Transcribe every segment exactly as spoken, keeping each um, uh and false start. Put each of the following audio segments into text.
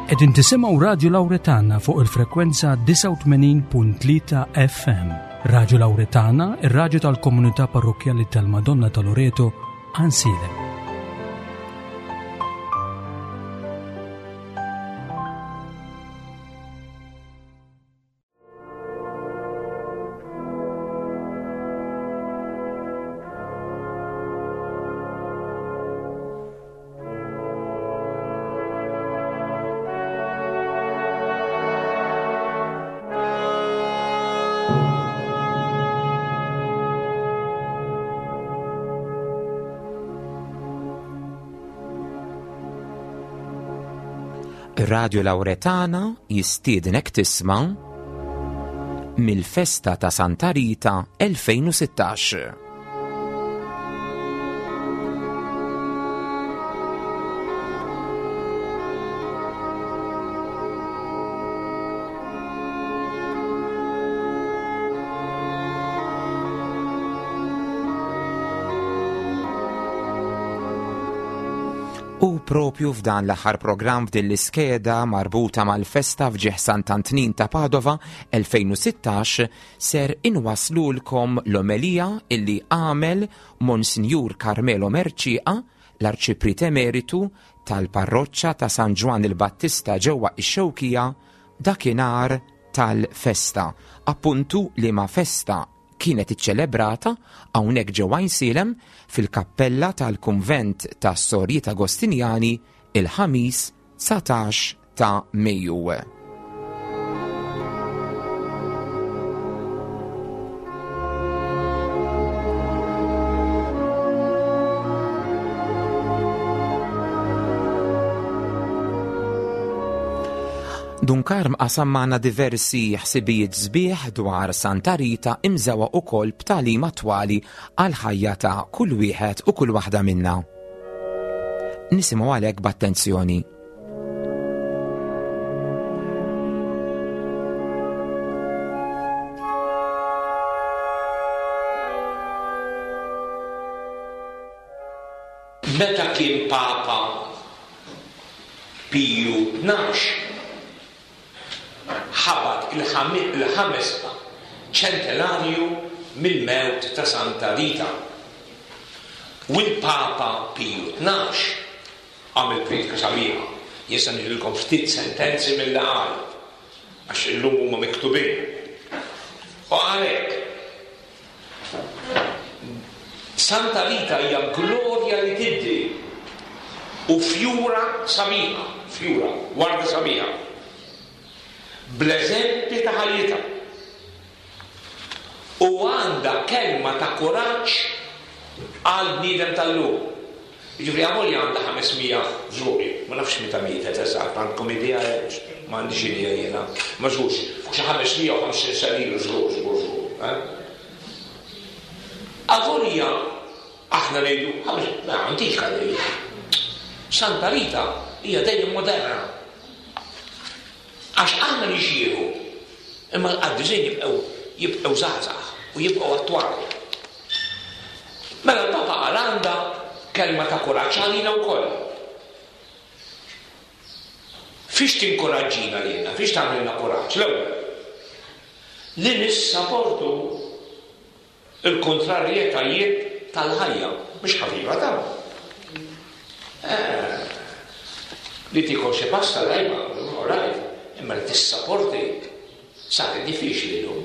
Qegħdin tisimgħu Radio Lauretana fuq il-frekwenza disgħa u tmenin punt tlieta F M. Radio Lauretana, ir-raġu tal-komunità parrokjali tal-Madonna ta' Loreto, Għajnsielem. Radio Lauretana jistiednek tisma' mill-festa ta' Santa Rita elfejn u sittax. U propju f'dan l-aħħar programm f'din l-iskeda marbuta mal-festa f'ġieħ Sant'Antnin ta' Padova elfejn u sittax ser inwaslulkom l-omelija illi għamel Monsinjur Carmelo Mercieca, l-Arċipriet Emeritu tal-Parroċċa ta' San Ġwann il-Battista ġewwa ix-Xewkija dakinhar tal-festa. Appuntu li ma festa kienet iċċelebrata hawnhekk ġewwa Għajnsielem fil-kappella tal-Kunvent tas Sorijiet Agostinjani il-Ħamis dsatax ta' Mejju. Dun Karm qasam magħna diversi ħsibijiet sbieħ dwar Santa Rita imżewqa ukoll b'tagħlim attwali għal ħajja ta' kull wieħed u kull waħda minna. Nisimgħu għalhekk b'attenzjoni. Meta kien Papa Piju Tnax ħabat il-ħames ċentenarju mill-mewt ta' Santa Rita. U l-Papa Piju Tnax għamel priedka sabiħa. Jien se ngħidilkom ftit sentenzi milli qal, għax illum huma miktubin. U għalhekk, Santa Rita hija glorja li tiddi u fjura sabiħa, fjura, warda sabiħa. Bl-eżempji ta' ħajjitha. U għandha kelma ta' kuraġġ għal bniedem tal-lum. Jiġifieri avolja għandha ħames mija żguri, ma nafx meta mietet eżatt, għandkom idea? Ma għandix idea jiena. Ma żgurx, fuq xi ħames mija u ħamsin sena ilu żgur, żgur, żgur. Eh? Avolja aħna ngħidu, ma antika ngħidu. Santa Rita hija dejjem moderna. Għax aħna nixjieħu, imma l-qaddisin jibqgħu jibqgħu żgħażagħ u jibqgħu attwali. Mela l-Papa qal għandha kelma ta' kuraġġ għalina wkoll. Fiex tinkoraġġina lilna, fiex tagħmilna kuraġġ? L-ewwel, li nissaportu il-kontrarjetajiet tal-ħajja, mhux ħafifa ta'. Eh, li tikol xi pasta dajma, all right, imma li tissaporti saret diffiċli llum.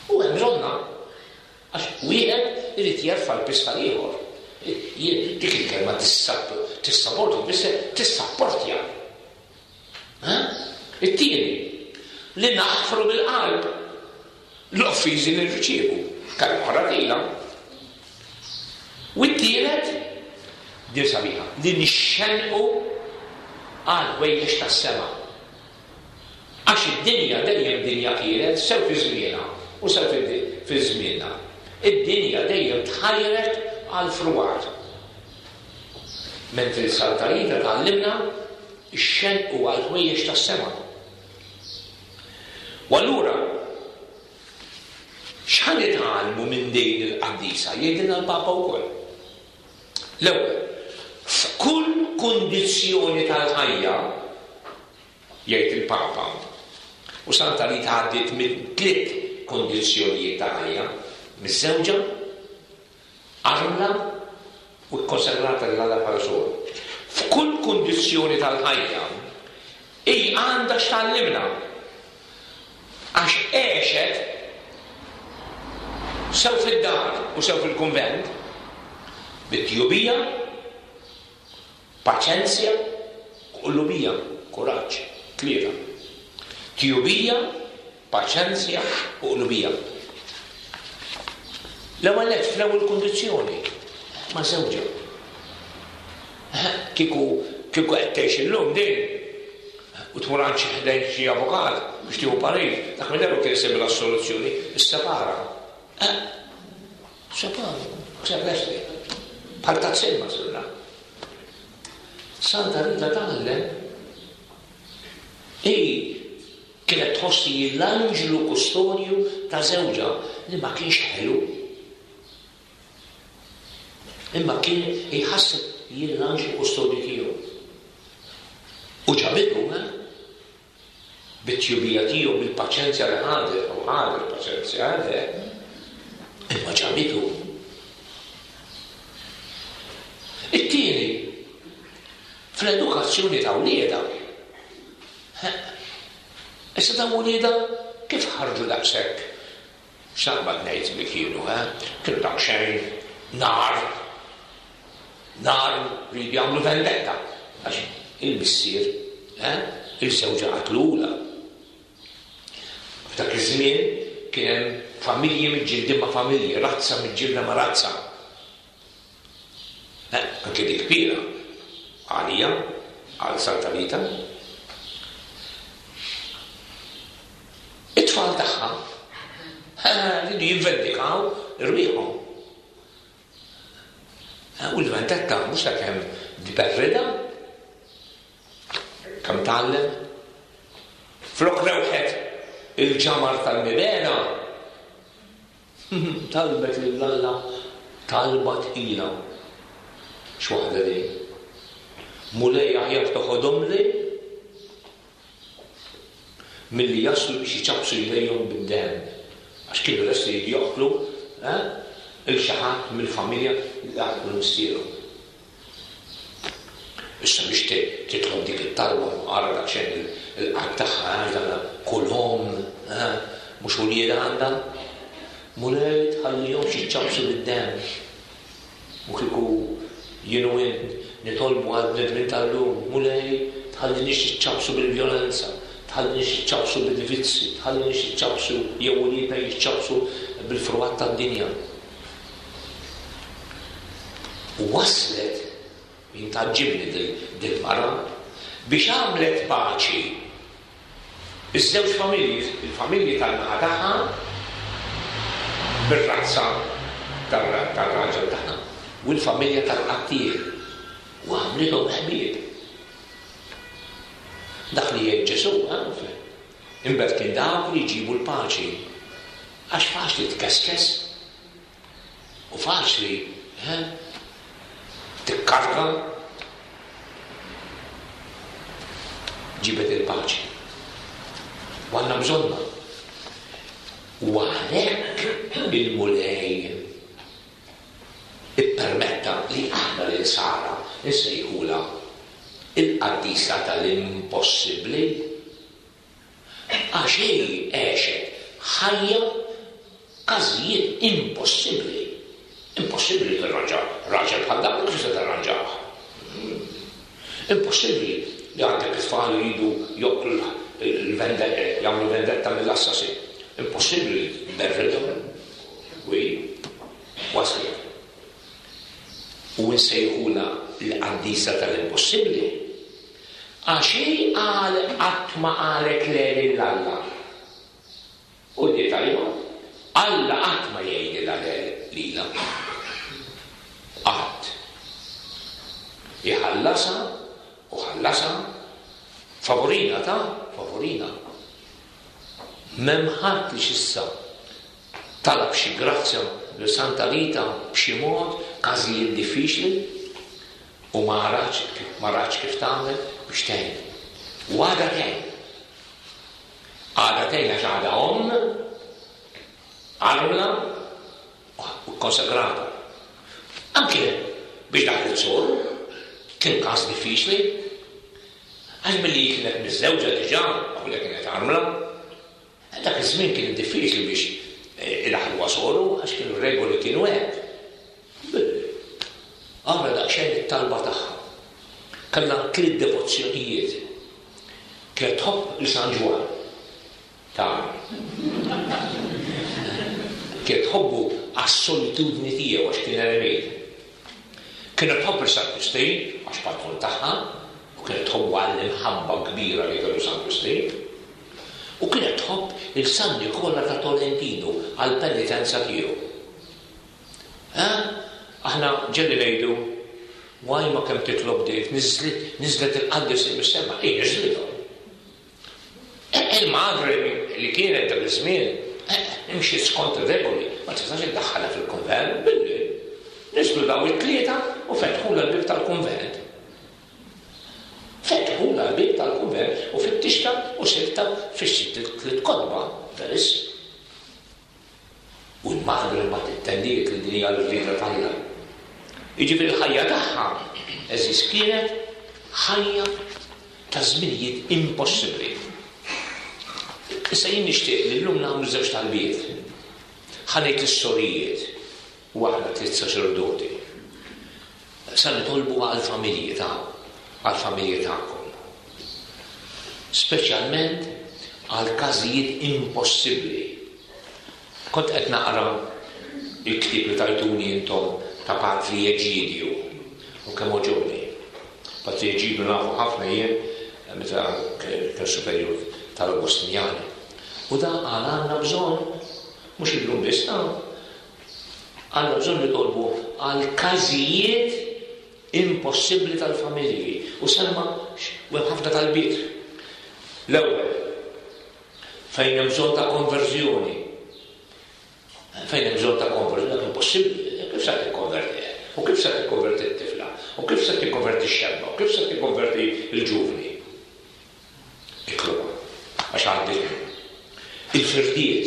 U hemm bżonna għax wieħed irid jerfa' l-piż tal-ieħor. Dik il-kelma tissaporti, tfisser tissapportja. It-tieni, li naħfru bil-qalb l-offiżi li nirċievu. Kelma oħra tila. U t-tielet, din sabiħa, li nixxenqu għal ħwejjeġ tas-sema. Għax id-dinja dejjem dinja kienet, sew fi żmienha u sew fi żmienna. Id-dinja dejjem tħajrek għal frwar. Mentri Santa Rita tgħallimna ix-xenqu għal ħwejjeġ tas-sema. U allura x'ħa nitgħallmu minn din il-qaddisa? Jgħidilna l-Papa wkoll. L-ewwel, f'kull kundizzjoni tal-ħajja Jgħid il-Papa. U Santa Rita għaddiet minn tliet kondizzjonijiet ta' ħajja: miżżewġa, armla u kkonsagrata lil Alla bħala soru. F'kull kundizzjoni tal-ħajja hi għandha x'tgħallimna. Għax għexet sew fid-dar u sew fil-kunvent bit-tjubija, paċenzja, qlubija, kuraġġ, tlieta. Tjubija, paċenzja u qlubija. L-ewwel nett fl-ewwel kundizzjoni ma' żewġha. Kieku kieku qed tgħix illum din u tmur għand xi ħdejn xi avukat biex tieħu parir, dak minn darba kien isibla s-soluzzjoni, issepara. Separa, sepp lesti. Bħal tazzin ma sirna. Santa Rita tgħallem hi kienet tħossi l-anġlu kustodju ta' żewġha li ma kienx ħelu. Imma kien jħasseb jien l-anġlu kustodju tiegħu. U ġabitu, eh? Bit-tjubija tiegħu, bil-paċenzja li ħadet, u ħadet paċenzja, eh? Imma ġabitu. It-tieni, fl-edukazzjoni ta' wliedha. Issa ta' wliedha kif ħarġu daqshekk? X'naqbad ngħid li kienu, eh? Kienu daqsxejn nar, nar rridu jagħmlu vendetta. Għax il-missier, eh? Il-żewġa qatlula. F'dak iż-żmien kien hemm familji miġġildin ma' familji, razza miġġilda ma' razza. Eh, anke dik kbira għalija, għal Santa Rita. It-tfal tagħha rridu jivvendikaw irwieħhom. U l-vendetta mhux ta' kemm tberrida, kemm tgħallem. Flok rewħet il-ġamar tal-mibena, talbet lil Alla talba tqila. X'waħda din? Mulej aħjar toħodhomli milli jaslu biex iċappsu jdejhom bid-demm. Għax kienu lesti joqtlu, eh, il xi ħadd mill-familja li qatlu missierhom. Issa biex titlob dik it-talba, ara daqsxejn il-qalb tagħha, għax dan kull omm, eh, mhux uliedha għandha. Mulej tħallihomx jiċċappsu bid-demm. U kieku jien u int nitolbu għal bnedmin tal-lum, Mulej tħallinix jiċċappsu bil-vjolenza, tħallinix jiċċappsu bil-vizzi, tħallinix jiċċappsu jew uliedna jiċċappsu bil-frwat tad-dinja. U waslet, jien tgħaġġibni dil-mara, biex għamlet paċi iż-żewġ familji, il-familji tal-naħa tagħha bir-razza tal-raġel tagħha u l-familja tal-qattiel, u għamlithom ħbieb. Dak li jgħid Ġesù, eh, imberkin dawk li jġibu l-paċi. Għax faċli tkeskes u faċli, eh, tikkarga, ġibet il-paċi. U għandna bżonna. U għalhekk il-Mulej ippermetta li aħna l-insara nsejħula il-qaddisa tal-impossibbli, għax hi għexet ħajja każijiet impossibbli. Impossibbli tirranġa raġel bħal dak, kif se tirranġah? Impossibbli li għandek it-tfal jridu joqtlu l-vendetta, jagħmlu vendetta mill-assassin. Impossibbli berridhom. Wi, waslet. U nsejħula l-qaddisa tal-impossibbli. Għax hi qal qatt ma qalet le lil Alla. U di tajba, Alla qatt ma jgħidilha le lilha. Qatt. Iħallasha u ħallasha favorina ta' favorina. M'hemm ħadd li x'issa talab xi grazzja lil Santa Rita b'xi mod, każijiet diffiċli, u ma ratx kif, ma ratx kif tagħmel biex tgħin. U għadha tgħin. Għadha tgħin għax għadha omm, armla u konsagrata. Anke biex daħlet soru, kien każ diffiċli. Għax milli kienet miżżewġa diġà, u li kienet armla, dak iż-żmien kien diffiċli biex idaħħluha soru għax kienu regoli kienu hekk. Għamla daqsxejn it-talba tagħha. Kellha tliet devozzjonijiet. Kienet tħobb lil San Ġwann. Ta' kienet tħobbu għas-solitudni tiegħu għax kien eremit. Kienet tħobb lil San Wistin għax patron tagħha, u kienet tħobbu għall-imħabba kbira li kellu San Wistin. U kienet tħobb il San Nikola ta' Tolentino għall-penitenza tiegħu. Aħna ġelli ngħidu, waj ma kemm titlob dik, niżlet il-qaddis mis-sema, ej niżlithom. Il-madre li kienet dak iż-żmien, imxi skont ir-regoli, ma tistax iddaħħalha fil-kunvent, billi niżlu daw it-tlieta u fetħulha l-bieb tal-kunvent. Fetħulha l-bieb tal-kunvent u fittixta u sibta fix-sitt tliet kotba, verissimi. U l-madre mbagħad ittendiet li din hija l-rieda t'Alla. Jiġifieri l-ħajja tagħha eżis kienet ħajja ta' żminijiet impossibbli. Issa jien nixtieq li llum nagħmlu żewġ talbiet. Ħa ngħid lis-sorijiet u aħna tliet saċerdoti. Sa nitolbu għall-familji ta' għall-familji tagħkom. Speċjalment għal każijiet impossibbli. Kont qed naqra il-ktieb li tajtuni intom ta' Patri Eġidju u kemm għoġobni. Patri Eġidju nafu ħafna jien meta kien superjur tal-Agostinjani. U da għal għandna bżonn, mhux illum biss, għandna bżonn nitolbu għal każijiet impossibbli tal-familji. U semma u hemm ħafna talbiet. L-ewwel, fejn hemm bżonn ta' konverżjoni. Fejn hemm bżonn ta' konverżjoni, dak impossibbli. Kif se tikkonverti? U kif se tikkonverti t-tifla? U kif se tikkonverti x-xebba? U kif se tikkonverti l-ġuvni? Itloba, għax għandi il-firdiet,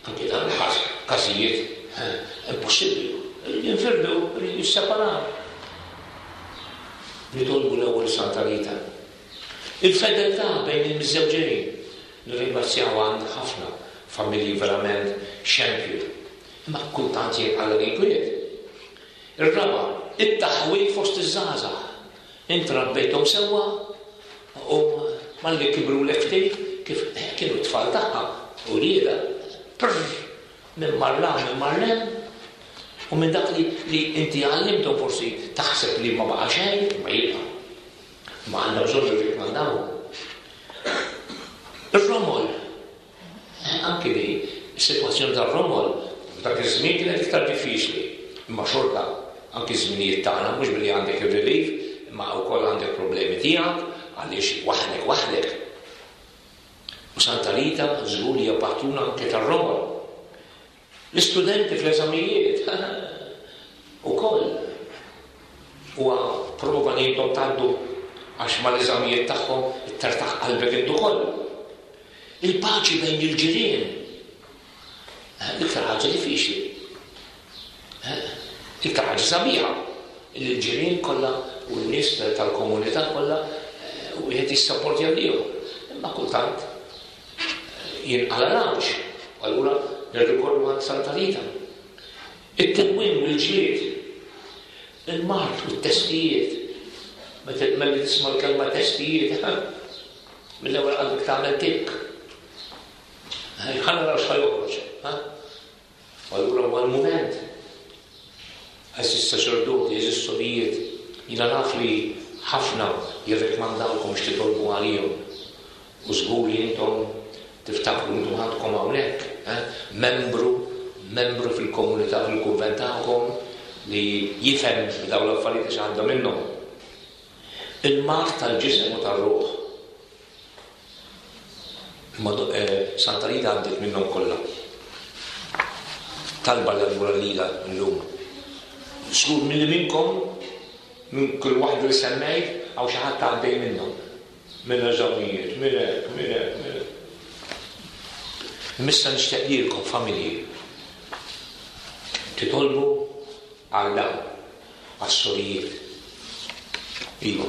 anke dan każijiet impossibbli. Jinfirdu, jisseparaw. Nitolbu l-ewwel Santa Rita. Il-fedeltà bejn il-miżżewġin. Nirringrazzjaw għand ħafna familji verament xempju. Imma kultant jgħid l-inkwiet. Ir-raba, it-taħwil fost iż-żgħażagħ. Int rabbejthom sewwa u malli kibru l-ftit kif kienu t-tfal tagħha u rieda, prr, minn marla, minn marlem, u minn dak li, li inti għallimthom forsi taħseb li ma baqa' xejn, ma jibqa'. Ma għandna bżonn nirrikmandaw. Ir-romol, anke di, is-sitwazzjoni tar-romol, f'dak iż-żmien kienet iktar diffiċli, imma xorta anke ż-żminijiet tagħna mhux billi għandek ir-relief, imma wkoll għandek problemi tiegħek għaliex waħdek waħdek. U Santa Rita żgur hija patruna anke tar-romol. L-istudenti fl-eżamijiet ukoll huwa prova li intom tgħaddu għax mal-eżamijiet tagħhom ittertaħ qalbek int ukoll. Il-paċi bejn il-ġirien. L-iktar ħaġa diffiċli. L-iktar ħaġa sabiħa. Il-ġirien kollha u n-nies tal-komunità kollha u wieħed jissapportja lilhom. Imma kultant jinqala l-għawġ. Allura nirrikorru għand Santa Rita. It-tilwim u l-ġlied, il-mard u t-testijiet. Meta tisma' l-kelma testijiet, mill-ewwel qalbek tagħmel tikk. Ħa naraw x'ħa joħroġ. Allura huwa l-mument. Għeżież saċerdoti, għeżież sorijiet, jiena naf li ħafna jirrekmandawkom biex titolbu għalihom. U żgur li intom tiftakru intom għandkom hawnhekk, membru, membru fil-komunità fil-kunvent tagħkom li jifhem b'dawn l-affarijiet għax għandha minnhom. Il-mard tal-ġisem u tar-ruħ. Santa Rita għaddiet minnhom kollha. Talba l-għallura lila llum. Żgur milli minnkom, minn kull waħda li semmejt, hawn xi ħadd għaddej minnhom. Minn eżamijiet, minn hekk, minn hekk, minn hekk. Imma nixtieq lilkom familji titolbu għal dawn, għas-sorijiet. Iva.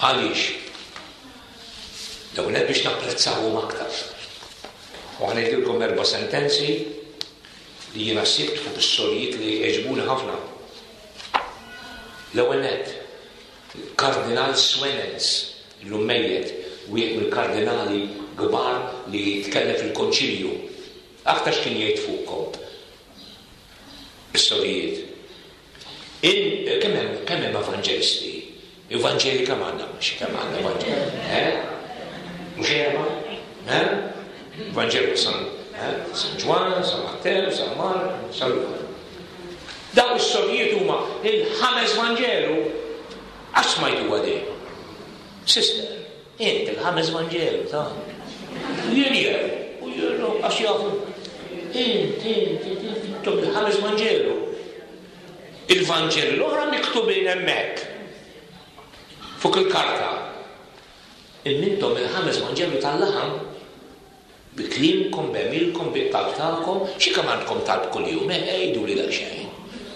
Għaliex? Dawn biex napprezzawhom aktar. U ħa ngħidilkom erba' sentenzi li jiena sibt fuq is-sorijiet li għeġbuni ħafna. L-ewwel nett, Kardinal Suenens, illum mejjet, wieħed mill-kardinali kbar li jitkellem fil-konċilju. Aktar x'kien jgħid fuqkom? Is-sorijiet. Kemm hemm kemm hemm evanġelisti? Evanġeli kemm għandna? Xi kemm għandna evanġeli? Eh? Mhux erba'? Eh? Evanġelu San eh? San Ġwann, San Mattew, San Mark, San Luqa. Dawn is-sorijiet huma il-ħames Vanġelu għax smajtu għadej. Sister, int il-ħames Vanġelu ta' jien jew, u jien għax jafu. Int, int, int, intom il-ħames Vanġelu. Il-Vanġelu l-oħra miktubin hemmhekk fuq il-karta. Intom il-ħames Vanġelu tal-laħam bi kliemkom, b'għemilkom, bit-talb tagħkom, xi kemm għandkom talb kuljum, eh, għidu li daqsxejn.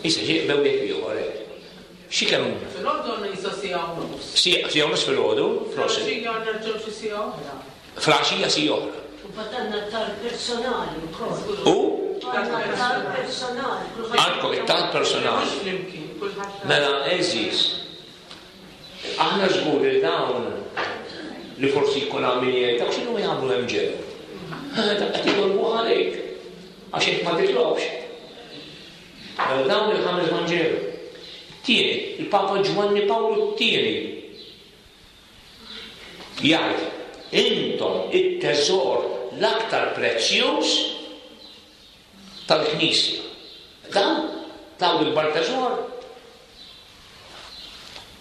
Issa xi bew jekk ieħor hekk. Xi kemm Filgħodu nisa siegħa u nofs. Siegħa u nofs filgħodu, prosit. Filgħaxija nerġgħu xi siegħa oħra. Filgħaxija siegħa oħra. U batanna talb personali wkoll. U? Għandna talb personali. Għandkom it-talb personali. Mhux flimkien, kulħadd. Mela, għeżież, aħna żgur li dawn li forsi jkun hawn min jgħid, dak x'inhu jagħmlu hemm ġew? Dak qed jitolbu għalik għax int ma titlobx. Mela dawn il-ħames Vanġelu. Tieni, il-Papa Ġwanni Pawlu t-tieni jgħid, intom it-teżor l-aktar prezzjuż tal-Knisja. Dawn, dawn il-bar teżor.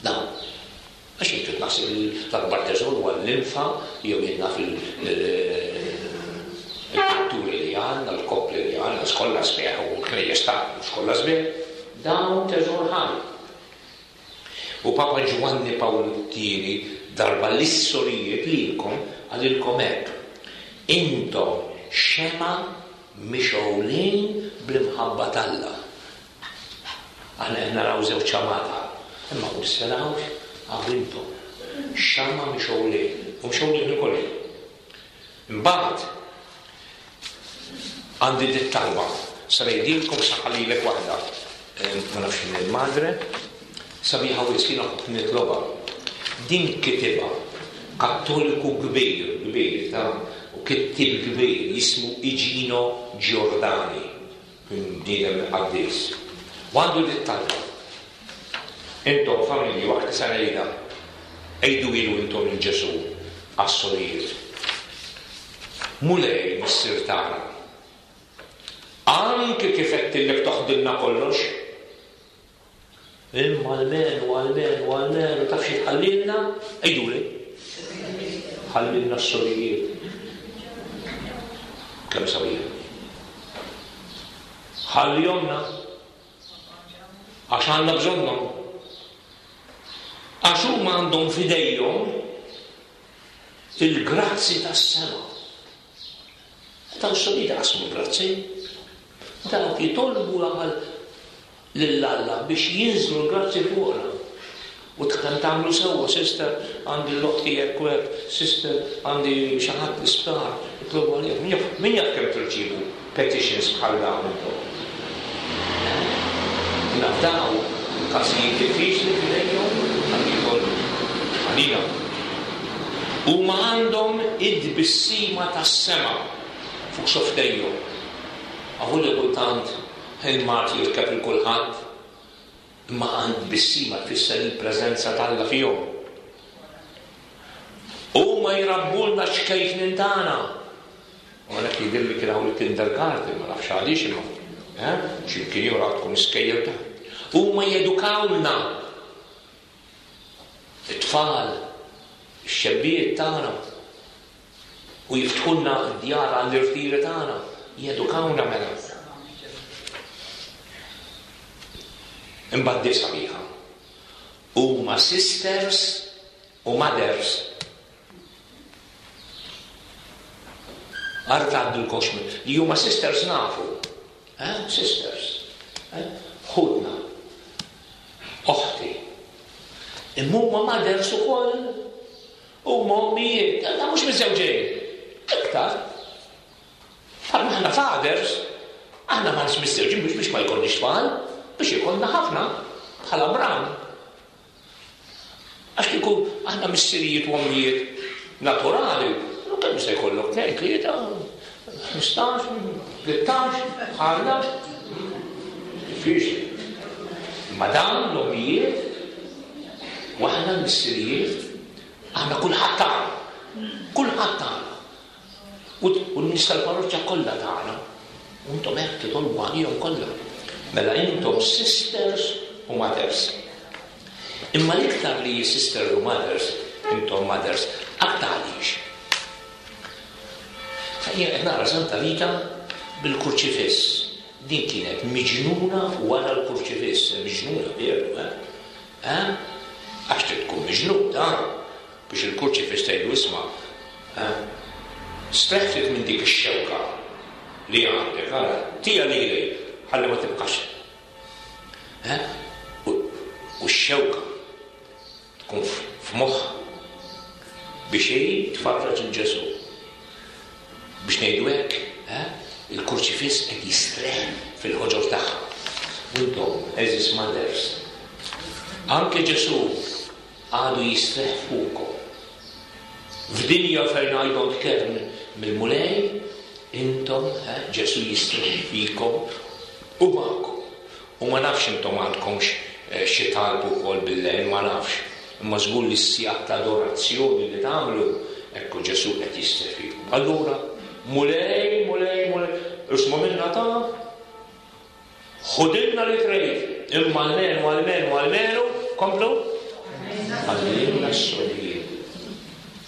Dawn. Għax intu naħseb l-akbar teżor huwa l-linfa jew jien naf il-pitturi li għandna, l-koppli li għandna, skolla sbieħ u l-knejjes ta' skolla sbieħ. Dawn teżor ħaj. U Papa Ġwanni Pawlu t-tieni darba l-sorijiet lilkom qalilkom hekk. Intom xema mixgħulin bl-imħabba t'Alla. Aħna qed naraw żewġ xamata, imma u nisfelawx għaw intom. Xama mixgħulin, u mixgħulin ukoll. Imbagħad għandi dit talba, sa ngħidilkom sa ħallilek waħda. Ma nafx min il-madre, sabiħa u jiskina ħobb nitloba. Din kitibha kattoliku kbir, kbir, ta' u kittib kbir, jismu Igino Giordani, kien bniedem qaddis. U għandu dit talba. Intom familji waqt sa ngħidha, għidu ilu intom il Ġesù għas-sorijiet. Mulej Missier tagħna, anke kif qedtillek toħdilna kollox, imma almenu, almenu, almenu, taf xi tħallilna? Għiduli. Ħallilna s-sorijiet. Kemm sabiħ. Ħallihomna għax għandna bżonnhom. Għax huma għandhom f'idejhom il-grazzi tas-sema. Dawn s-sorijiet qasmu l-grazzi. Dawk jitolbu għal lil Alla biex jinżlu l-grazzi fuqna. U kemm tagħmlu sewwa, sister, għandi l-oħti hekk u hekk, sister, għandi xi ħadd l-isptar, itlobu għalih. Min jaf, min jaf kemm tirċievu petitions bħal dawn intom? Nafdaw każijiet diffiċli f'idejhom għal jitolbu għalina. Huma għandhom id-tbissima tas-sema fuq xofftejhom. Aħu li kultant il-mard jirkeb il kulħadd, imma għand tbissima tfisser il-preżenza t'Alla fihom. Huma jrabbulna ċkejknin tagħna. U għalhekk jidhirli kien hawn il-kindergarten, ma nafx għaliex imma. Eh? X'imkien ieħor għadkom iskejjel ta'. Huma jedukawna it-tfal, ix-xebbijiet tagħna, u jiftħulna d-djar għall-irtiri tagħna, jedukawna mela. Imbagħad di sabiħa. Huma sisters u mothers. Għar tgħaddulkomx li huma sisters nafu. Eh? Sisters. Eh? Ħutna. Oħti. Imma huma mothers ukoll. Huma ommijiet. Da mhux miżżewġin. Iktar. Bħalma aħna fathers, aħna ma nix miżżewġin biex biex ma jkollniex tfal, biex ikollna ħafna bħala Abram. Għax kieku aħna missirijiet u ommijiet naturali, u kemm se jkollok tnejn, tlieta, ħmistax, tlettax, bħalna. Diffiċli. Ma dawn l-ommijiet, u aħna l-missirijiet, aħna kulħadd tagħna. Kulħadd tagħna. U n-nies tal-parroċċa kollha tagħna. U intom hekk titolbu għalihom kollha. Mela intom sisters u mothers. Imma l-iktar li sisters u mothers, intom mothers, aktar għaliex. Jien qed nara Santa Rita bil-kurċifiss. Din kienet miġnuna wara l-kurċifiss, miġnuna veru, eh? Eh? Għax trid tkun miġnuna biex il-kurċifiss tgħidu isma', eh? Streħ minn dik ix-xewka li għandek, ara, tija lili, ħalli ma tibqax. Eh? U x-xewka tkun f'moħħ biex hi tfarraġ il Ġesù. Biex ngħidu hekk, eh? Il-kurċifiss qed jistreħ fil-ħoġor tagħha. U intom, għeżież mothers, anke Ġesù għadu jistrieħ fuqkom. F'dinja fejn I don't care mill-Mulej, intom, eh, Ġesù jistrieħ fikom u magħkom. U ma nafx intom għandkomx eh, xi talb ukoll bil-lejl, ma nafx. Imma żgur li s-sigħat ta' adorazzjoni li tagħmlu, ekku Ġesù qed jistrieħ fikom. Allura, Mulej, Mulej, Mulej, isma' minna ta' ħudilna li trid, imma almenu, almenu, almenu, komplu, għallimna s-sorijiet.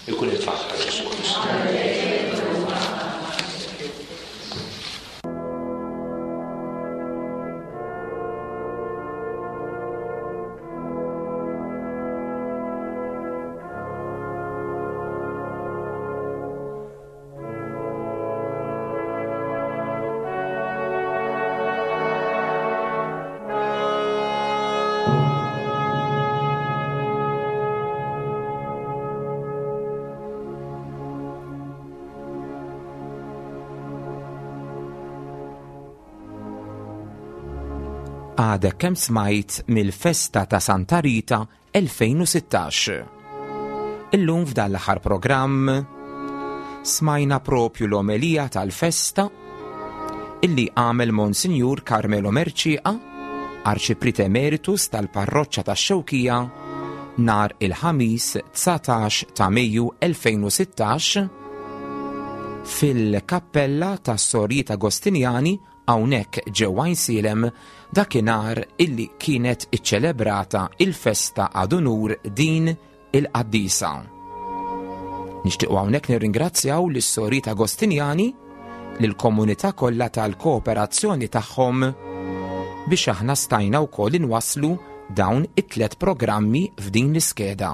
Ikun il-faħħar Ġesù Kristu. Għadek kemm smajt mill-festa ta' Santa Rita elfejn u sittax. Illum f'dan l-aħħar programm smajna propju l-omelija tal-festa illi għamel Monsinjur Carmelo Mercieca, Arċipriet Emeritus tal-Parroċċa tax-Xewkija, nar il-Ħamis dsatax ta' Mejju elfejn u sittax fil-Kappella tas-Sorijiet Agostinjani hawnhekk ġewwa Għajnsielem, dakinhar illi kienet iċċelebrata il-festa ad unur din il-qaddisa. Nixtiequ hawnhekk nirringrazzjaw lis-Sorijiet Agostinjani, lill-komunità kollha tal-kooperazzjoni tagħhom biex aħna stajna wkoll inwasslu dawn it-tliet programmi f'din l-iskeda.